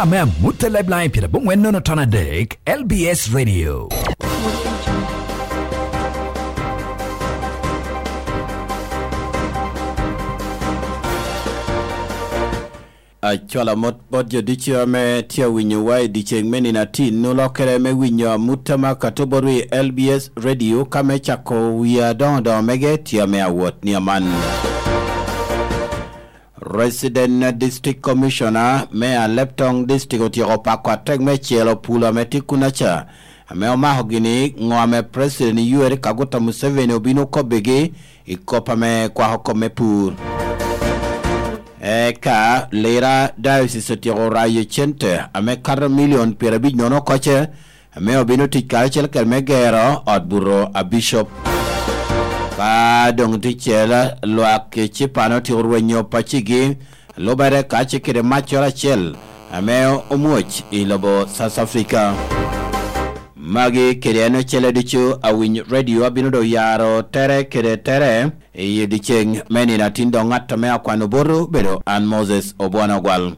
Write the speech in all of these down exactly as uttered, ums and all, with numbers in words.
Me amut a Lifeline pyeradek nono ton adek, L B S Radio. Acwalo amot bot jo ducu ame tye awinyowa i dyeceŋ me nino atin, olokkere me winyo amut a Makato bot wi L B S Radio, ka me cako wie adoŋo doŋo mege tye ame awot ni aman. Resident District Commissioner me Aleptong District otyeko pako atek me celo pulo ame tye kunaca, ame omako gini ŋo ame President Yoweri Kaguta Museveni obino kobbigi i kop ame kwako kop me pur. Eka Lira Diocese otyeko rayo cente ame kato milion pyerabic nono okoce, ame obino tic karacel kede me gero ot buto a Bishop. Ka doŋ ticel, lwak i Cipan otyeko rwenyo pacigi, lubere kace kede maccoro acel ame omwoc i lobo South Africa. Magi kede en ocele ducu awiny radio abino doŋ yaro tere kede tere i dyeceŋ me nino atin, doŋ ŋat ame akwano boto obedo an Moses Obwona Ogwal.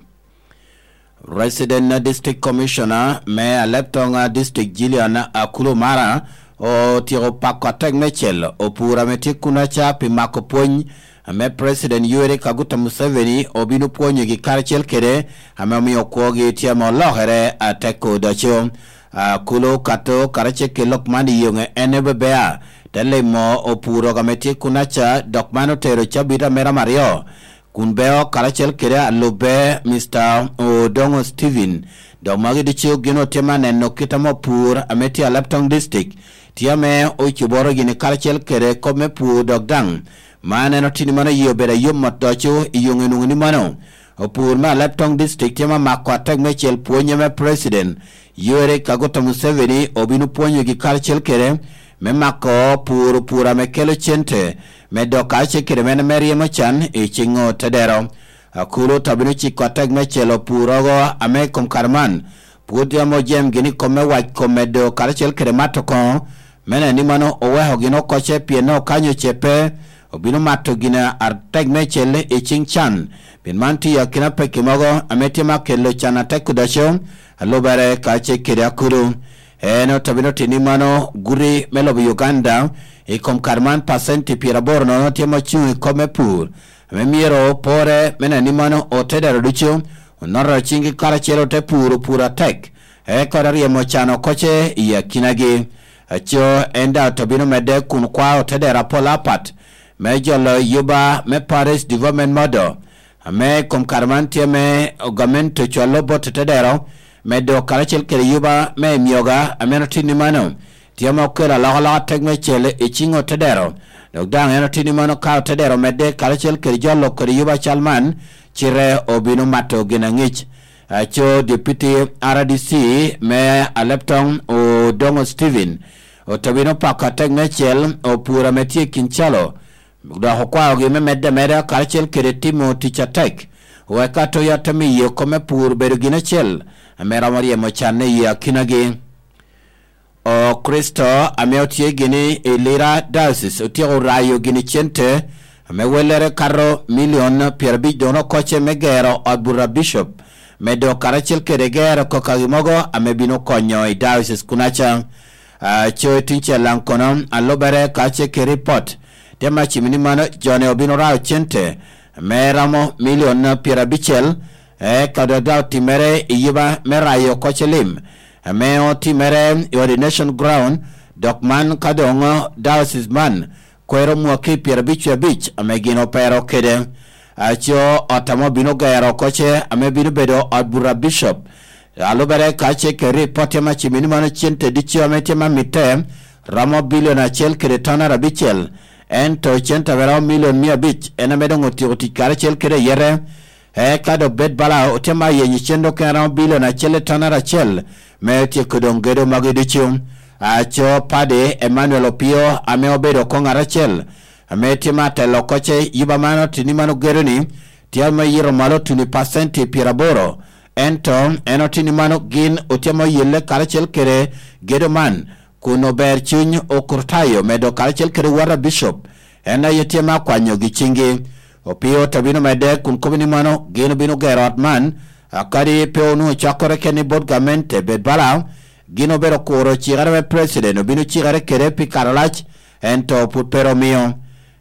Resident District Commissioner me Aleptong District, Jillian Akulu Mara, otyeko pako atek me cel opur ame tye kunaca pi mako pwony ame President Yoweri Kaguta Museveni obino pwonyogi karacel kede ame omio kwogi tye ame olokere atek odoco. Akulu Kato karacel kede lok man i yoŋe en obebea te limo opur ame tye kunaca, dok man otero cabit a mera aryo kun beo karacel kede alubbe, Mister Odongo Steven. Dok magi ducu gin otye me aneno kit ame opur ame tye Aleptong District tye ame ocoboro gini karacel kede kop me pur, dok daŋ man en otini mano yie obedo ayom mot doco i yoŋe nwoŋo ni mano opur me Aleptong District tye me mako atek me cel pwony ame President Yoweri Kaguta Museveni obino pwonyogi karacel kede me mako pur, pur ame kelo cente, me dok karacel kede mene me ryemo can i ciŋ otedero. Akulu to bino ciko atek me celo pur ogo ame i kom kare man pwod yam ojem gini kom me wac kom medo karacel kede mato koŋo, me neno ni mano oweko gin okoce, pien okanyo ce pe obino mato gin atek me cel i ciŋ can. Pien man tye akina pekki mogo ame tye me kelo can atek odoco, alubere karacel kede akulu. En ote bino tini mano guti me lobo Uganda i kom kare man pacenti pyeraboro nono tye ma ocuŋ i kop me pur, ame myero opore me neno ni mano otedero ducu onoto ciŋgi karacel ote puro pur atek, eka ote ryemo can okoce i akinagi. Aco en daŋ ote bino medde kun kwao otedero apol apat me jolo yuba me Parish Development Model, ame i kom kare man tye me gamente ocwalo bot otedero medo karacel kede yuba me emyoga, ame en otinni mano tye ame okelo alokaloka tek me cel i ciŋ otedero, dok daŋ en otinni mano ka otedero medde karacel kede jolo kede yuba cal man, cite obino mato gin aŋic. Aco Deputy R D C me Aleptong Odongo Steven ote bino pako atek me cel opur ame tye i kin calo, dok okwaogi me medde ameda karacel kede timo tic atek, wek atoya te miyo kop me pur bedo gin acel ame romo ryemo canne i akinagi. Okricito ame otye gini i Lira Diocese otyeko rayo gini cente ame wellere kato milion pyerabic dono okoce me gero ot buto a Bishop, medo karacel kede gero kokagi mogo ame bino konyo i diocese kunaca. Aco i tuŋ cel daŋ kono, alubere ka ce kede ripot, tye me acimmi ni mano jone obino rao cente me romo milion pyerabicel, eka dok daŋ otimere i yuba me rayo oko celim, ame otimere i Ordination Ground, dok man ka doŋ diocese man kwero mwaki pyerabic wie abic ame gin opero kede. Aco ot ame obino gero oko ce ame bino bedo ot buto a Bishop, alubere ka ce kede ripot tye me acimmi ni mano cente ducu ame tye me amitte romo bilion acel kede ton arabicel, ento cente ame romo milion mia abic en ame doŋ otyeko tic karacel kede ayete. Eka dok bed bala otye me ayenyo cente okene romo bilion acel i ton aracel me tyeko doŋ gedo magi ducu. Aco Paddy Emmanuel Opio ame obedo oko ŋat acel ame tye me atelo oko ce yuba man otini man ogedo ni tye me yito malo tuno i pacenti pyeraboro, ento en otini mano gin otye me oyelle karacel kede gedo man kun ober cuny okrutayo medo karacel kede wota bicop, en aye tye me akwanyogi ciŋgi. Opio te bino medde kun kobo ni mano gin obino gero ot man, A kadi pe onwoŋo cwakkere keni bot gamente, bed bala gin obedo kuro cikere me president obino cikere kede pi kare alac, ento pwod pe ro mio.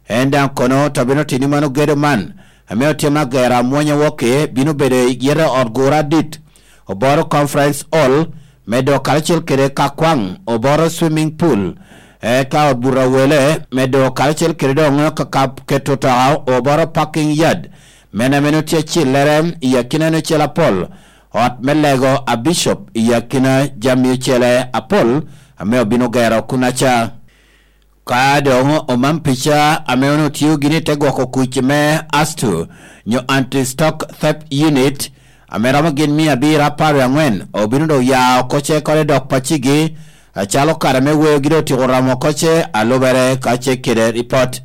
En daŋ kono to bino tini mano gedo man, ame otye me agero amwonya woki, bino bedo i yete ot gura adit, Oboro Conference Hall, medo karacel kede ka kwaŋ, Oboro Swimming Pool, eka ot buto awele, medo karacel kede doŋ kakap keto toka, Oboro Parking Yard, men ame nwoŋo tye acillere i akina nocel apol, ot me lego a Bishop i akina jami ocele apol ame obino gero kunaca. Ka doŋ omam pica ame onwoŋo tio gini i te gwoko kuc me astu nyo anti-stock theft unit, ame romo gin mia abiro apar wie aŋwen, obino doŋ ya oko ce kore dok pacigi, acalo kare me weyogi doŋ otyeko romo oko ce, alubere ka ce kede ripot.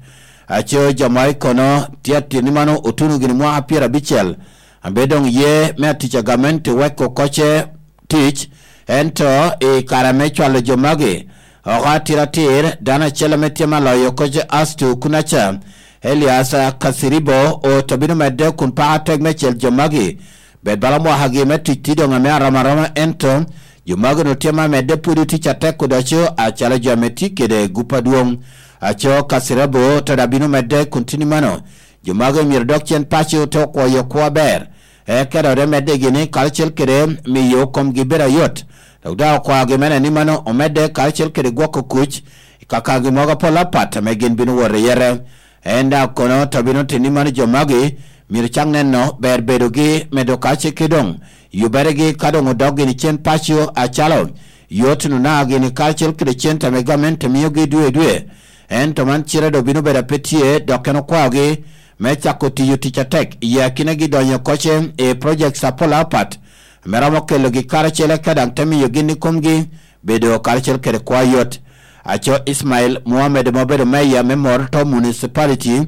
Aco jo ma i kono tye ateni mano otuno gini mwaka pyerabicel, abe doŋ ye me atic a gamente weko oko ce tic, ento i kare me cwalo jo magi oko atiratir, dano acel ame tye me aloyo oko ce astu kunaca, Elias Kasiribo, oto bino medde kun pako atek me cel jo magi. Bed bala mwakagi me tic tye doŋ ame arom aroma, ento jo magi onwoŋo tye ma medde pwod i tic atek odoco acalo jo ame tye kede gup adwoŋ. Aco Kasirabo to daŋ bino medde kun tini mano, jo magi myero dok cen paco te okwoyo kwo aber, eka doŋ te medde gini karacel kede miyo komgi bedo ayot, dok daŋ okwaogi me neno ni mano omedde karacel kede gwoko kuc i kakagi mogo apol apat ame gin bino wot i yete. En daŋ kono to bino tini mano jo magi myero cak neno ber bedogi medo kace ki doŋ yuberegi ka doŋ odok gini cen paco acalo yot nuna gini karacel kede cen tame gamente miogi dwe i dwe. Ento man cire doŋ bino bedo ape tye, dok en okwaogi me cako tiyo tic atek i akinagi donyo koce i projects apol apat, me romo kelogi karacel eka daŋ te miyo gin i komgi bedo karacel kede kwa yot. Aco Ismail Muhammad ma obedo meya me Morto Municipality,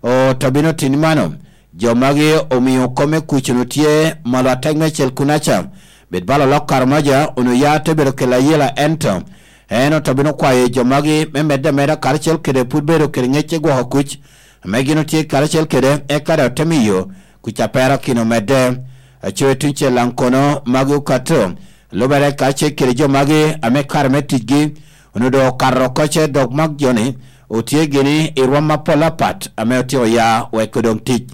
oto bino tini mano, jo magi omio kome kucunu tye malo atek me cel kunaca, bed bala olok Karamoja onwoŋo ya te bedo kelo ayela, ento en oto bino kwayo jo magi me medde ameda karacel kede pwod bedo kede ŋec i gwoko kuc ame gin otye karacel kede, eka daŋ ote miyo kuc a perakino medde. Aco i tuŋ cel daŋ kono magi okato, lubere ka ce kede jo magi ame kare me ticgi onwoŋo doŋ okato oko ce, dok mak joni otye gini i rwom apol apat ame otyeko ya weko doŋ tic.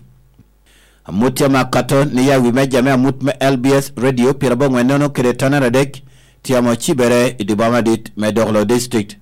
Amut tye ma kato ni ya wi meja me amut me L B S Radio pyerabongwen nono kede tonere adek tye ame ocibere i dye boma madit me Dokolo District.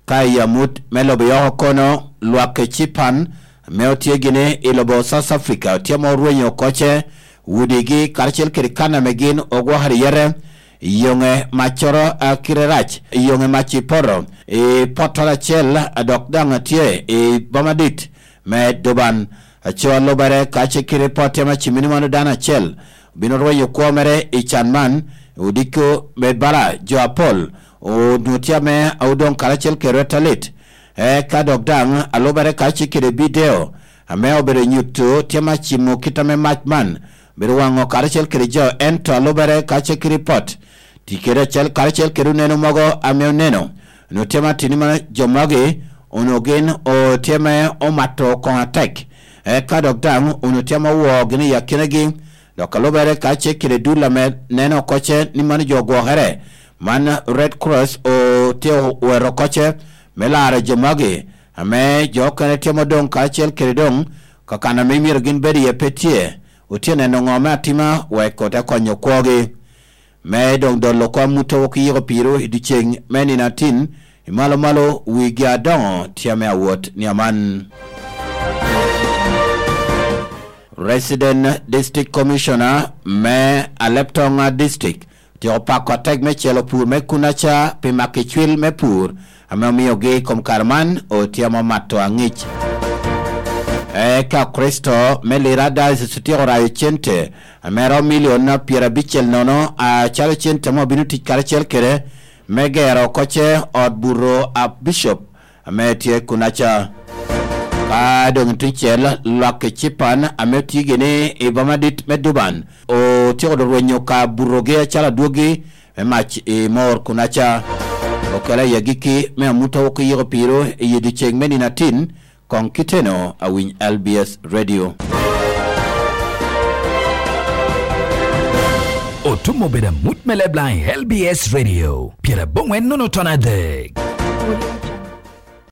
Ka i amut me lobo yoko kono, lwak Ecipan ame otye gini i lobo South Africa tye ma orwenyo oko ce udigi karacel kede kan ame gin ogwokere yete i yoŋe maccoro a kite rac, i yoŋe mac i poto, i pottoro acel, dok daŋ tye i boma dit me Durban. Aco a lubere ka ce kite pot tye ma cimini mano dano acel obino rwenyo kwo mere i can man, odiko med bala jo apol onwoŋo tye ame odoŋ karacel kede rwet alit. Eka dok daŋ a lubere ka ce kede bideo ame obedo nyuto tye ma cimo kit ame mac man obedo waŋo karacel kede jo, ento a lubere ka ce kede ripot, tic kede acel karacel kede oneno mogo ame oneno, onwoŋo tye ma tini ma jo magi onwoŋo gin otye me omato koŋ atek. Eka dok daŋ onwoŋo tye ma owo gini i akinagi, dok a lubere ka ce kede dul ame neno oko ce ni mano jo ogwokere, man Red Cross otye owero oko ce me laro jo magi, ame jo okene tye ma odoŋ karacel kede doŋ kakan ame myero gin bed iye pe tye, otye neno ŋo me atima wek ote konyo kwogi. Me doŋ dolo oko amuttowu ki yiko piro i dyeceŋ me nino atin, i malo malo wigi adoŋo tye ame awot ni aman. Resident District Commissioner me Aleptoŋa District otyeko pako atek me celo pur me kunaca pi maki cwil me pur ame omiogi i kom kare man otye ame omato aŋic. Eka Kricito me Lira Diocese otyeko rayo cente ame romo milion pyerabicel nono, acalo cente ame obino tic karacel kede me gero oko ce ot buto a Bishop ame tye kunaca. Ka doŋ i tuŋ cel, lwak Ecipan ame otye gini i boma dit me Durban otyeko doŋ rwenyo ka butogi acalo adwogi me mac i mor kunaca. Okela i agikki me amuttowu ki yiko piro i dyeceŋ me nino atin, koŋ kiteno awiny L B S Radio. Tum obedo amut me Leblang i L B S Radio, pyeraboŋwen nono ton adek.